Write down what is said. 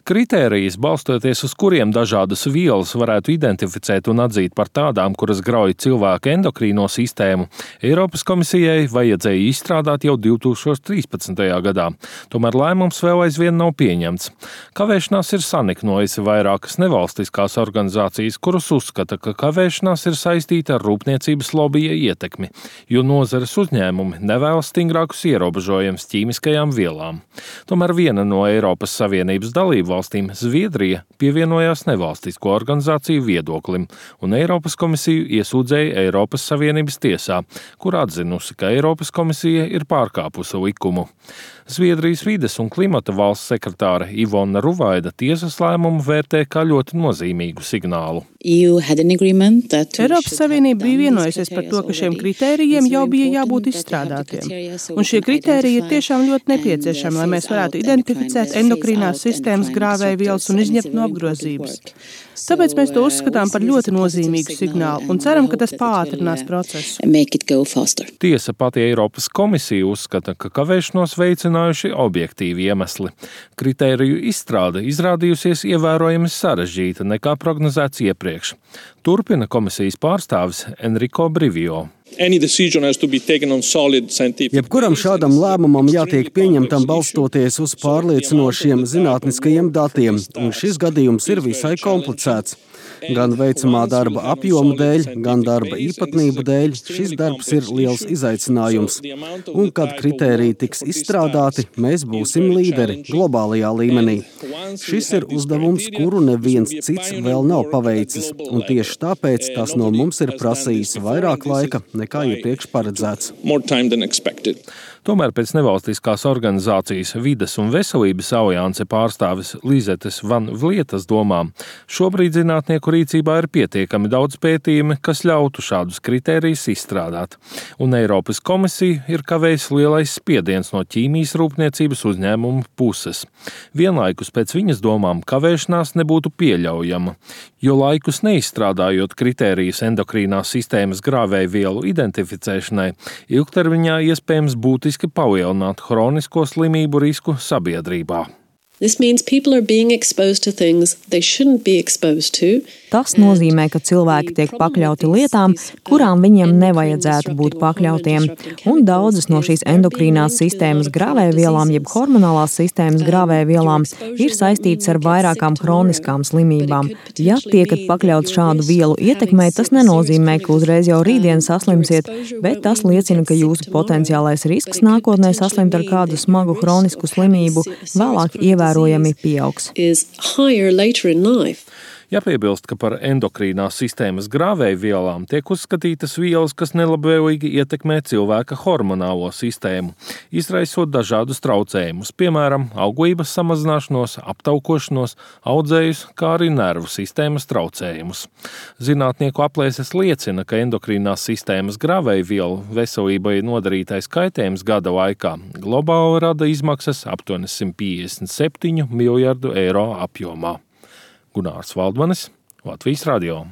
Kritērijas, balstoties uz kuriem dažādas vielas varētu identificēt un atzīt par tādām, kuras grauj cilvēka endokrīno sistēmu, Eiropas komisijai vajadzēja izstrādāt jau 2013. gadā. Tomēr lēmums vēl aizvien nav pieņemts. Kavēšanās ir saniknojusi vairākas nevalstiskās organizācijas, kuras uzskata, ka kavēšanās ir saistīta ar rūpniecības lobija ietekmi, jo nozares uzņēmumi nevēlas stingrākus ierobežojumus ķīmiskajām vielām. Tomēr viena no Eiropas Savienības dalību valstīm, Zviedrija, pievienojās nevalstisko organizāciju viedoklim un Eiropas komisiju iesūdzēja Eiropas Savienības tiesā, kur atzinusi, ka Eiropas komisija ir pārkāpusi likumu. Zviedrijas vides un klimata valsts sekretāre Ivona Ruvaida tiesas lēmumu vērtē kā ļoti nozīmīgu signālu. Eiropas Savienība bija vienojusies par to, ka šiem kritērijiem jau bija jābūt izstrādātiem. Un šie kritēriji ir tiešām ļoti nepieciešami, lai mēs varētu identificēt endokrīnās sistēmas grāvējvielas un izņemt no apgrozības. Tāpēc mēs to uzskatām par ļoti nozīmīgu signālu un ceram, ka tas pātrinās procesu. Tiesa pati Eiropas komisija uzskata, ka kavēšanos veicinājuši objektīvi iemesli. Kritēriju izstrāde izrādījusies ievērojami sarežģīta nekā prognozēts iepriekš. Turpina komisijas pārstāvis Enrico Brivio. Jebkuram šādam lēmumam jātiek pieņemtam balstoties uz pārliecinošiem zinātniskajiem datiem, un šis gadījums ir visai komplicēts. Gan veicamā darba apjoma dēļ, gan darba īpatnību dēļ šis darbs ir liels izaicinājums. Un, kad kritēriji tiks izstrādāti, mēs būsim līderi globālajā līmenī. Šis ir uzdevums, kuru neviens cits vēl nav paveicis, un tieši tāpēc tas no mums ir prasījis vairāk laika nekā iepriekš paredzēts. Tomēr pēc nevalstiskās organizācijas Vides un veselības alianse pārstāvis Lizetes Van Vlietas domām, šobrīd zinātnieku rīcībā ir pietiekami daudz pētījumi, kas ļautu šādus kritērijus izstrādāt. Un Eiropas komisija ir kavējis lielais spiediens no ķīmijas rūpniecības uzņēmumu puses. Vienlaikus pēc viņas domām kavēšanās nebūtu pieļaujama, jo laikus neizstrādājot kritērijus endokrīnās sistēmas grāvējvielu identificēšanai, ilgtermiņā iespējams būtiski palielināt hronisko slimību risku sabiedrībā. Tas nozīmē, ka cilvēki tiek pakļauti lietām, kurām viņiem nevajadzētu būt pakļautiem, un daudzas no šīs endokrīnās sistēmas grāvējvielām, jeb hormonālās sistēmas grāvējvielām, ir saistītas ar vairākām hroniskām slimībām. Ja tiekat pakļauts šādu vielu ietekmei, tas nenozīmē, ka uzreiz jau rītdien saslimsiet, bet tas liecina, ka jūsu potenciālais risks nākotnē saslimt ar kādu smagu hronisku slimību vēlāk ievērojami pieaugs. Jāpiebilst, ka par endokrīnās sistēmas grāvējvielām tiek uzskatītas vielas, kas nelabvēlīgi ietekmē cilvēka hormonālo sistēmu, izraisot dažādus traucējumus, piemēram, auglības samazināšanos, aptaukošanos, audzējus, kā arī nervu sistēmas traucējumus. Zinātnieku aplēses liecina, ka endokrīnās sistēmas grāvējvielu veselībai nodarītais kaitējums gada laikā globāli rada izmaksas aptuveni 157 miljardu eiro apjomā. Gunārs Valdmanis, Latvijas radio.